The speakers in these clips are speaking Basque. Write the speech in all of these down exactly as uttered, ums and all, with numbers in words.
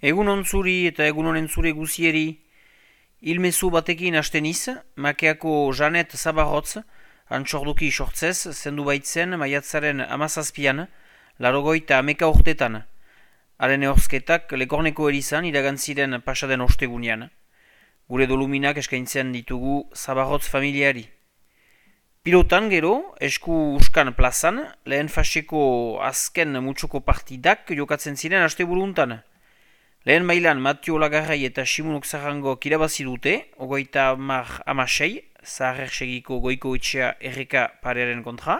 Egun ontzuri eta egun honen zure guzieri, ilmezu batekin hasten iz, makeako Janet Zabarrotz, antxorduki sortzez, zendu baitzen maiatzaren amazazpian, larogoita ameka urtetan. Haren ehorzketak lekorneko erizan iragantziren pasaden ostegunean. Gure doluminak eskaintzen ditugu Zabarrotz familiari. Pilotan gero, esku uskan plazan, lehen faseko azken mutxoko partidak jokatzen ziren asteburuntan. Lehen mailan Matio Lagarrai eta Simonok Zarrango kirabazi dute, ogoita amar amasei, Zaharrersegiko goiko etxea erreka parearen kontra.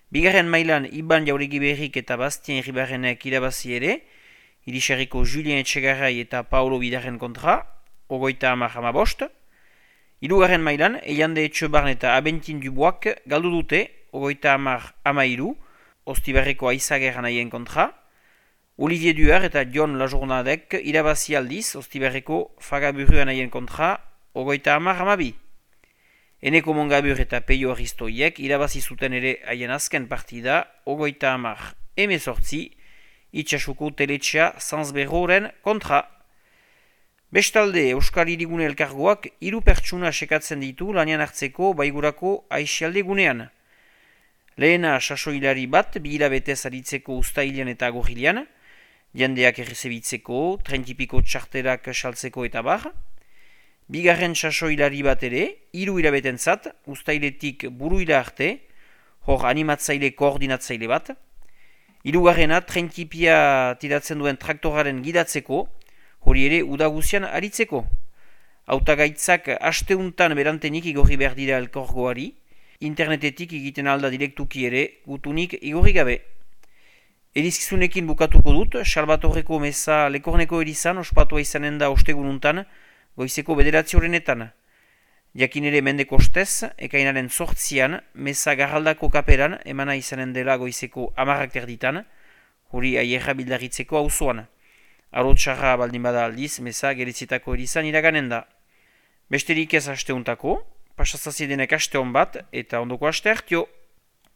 Bigarren mailan Iban Jauregi Berrik eta Bastien Ribarrenek irabazi ere, Iriserriko Julien Etxegarrai eta Paulo Bidarren kontra, ogoita amar amabost. Hirugarren mailan, Eiande Etxebarn eta Abentin Duboak galdu dute, ogoita amar amairu, Ostibarreko Aizager anaien kontra. Olivier Duer eta John Lajournadek irabazi aldiz, Ostibarreko Fagaburu anaien kontra, ogoita amar amabi. Eneko Mongabur eta Peio Aristoiek irabazi zuten ere haien azken partida, ogoita amar emezortzi, itxasuko teletxea Zanzberroren kontra. Bestalde, Euskal Hirigune Elkargoak hiru pertsuna sekatzen ditu lanian hartzeko baigurako aixialde gunean. Lehena sasoilari bat, bi hilabetez aritzeko uztailean eta agorrilean, jendeak errezebitzeko, trentipiko txarterak saltzeko eta bar. Bigarren sasoilari bat ere, hiru hilabetentzat, uztailetik buruila arte, hor animatzaile koordinatzaile bat. Hirugarrena trentipia tiratzen duen traktoraren gidatzeko, hori ere udaguzian aritzeko. Hautagaitzak asteuntan berantenik igorri behar dira elkorgoari, internetetik egiten alda direktuki ere gutunik igorri gabe. Erizkizunekin bukatuko dut, Salbatorreko meza lekorneko erizan ospatua izanen da ostegununtan, goizeko bederatzi horrenetan. Jakin ere mendeko ostez, ekainaren sortzian, meza garraldako kaperan emana izanen dela goizeko amarrak terditan, hori aierra bildarritzeko auzoan. Arotxarra baldin bada aldiz, meza geretzitako erizan iraganen da. Besterik ez asteuntako, pasazazi denek aste hon bat, eta ondoko aste hartio.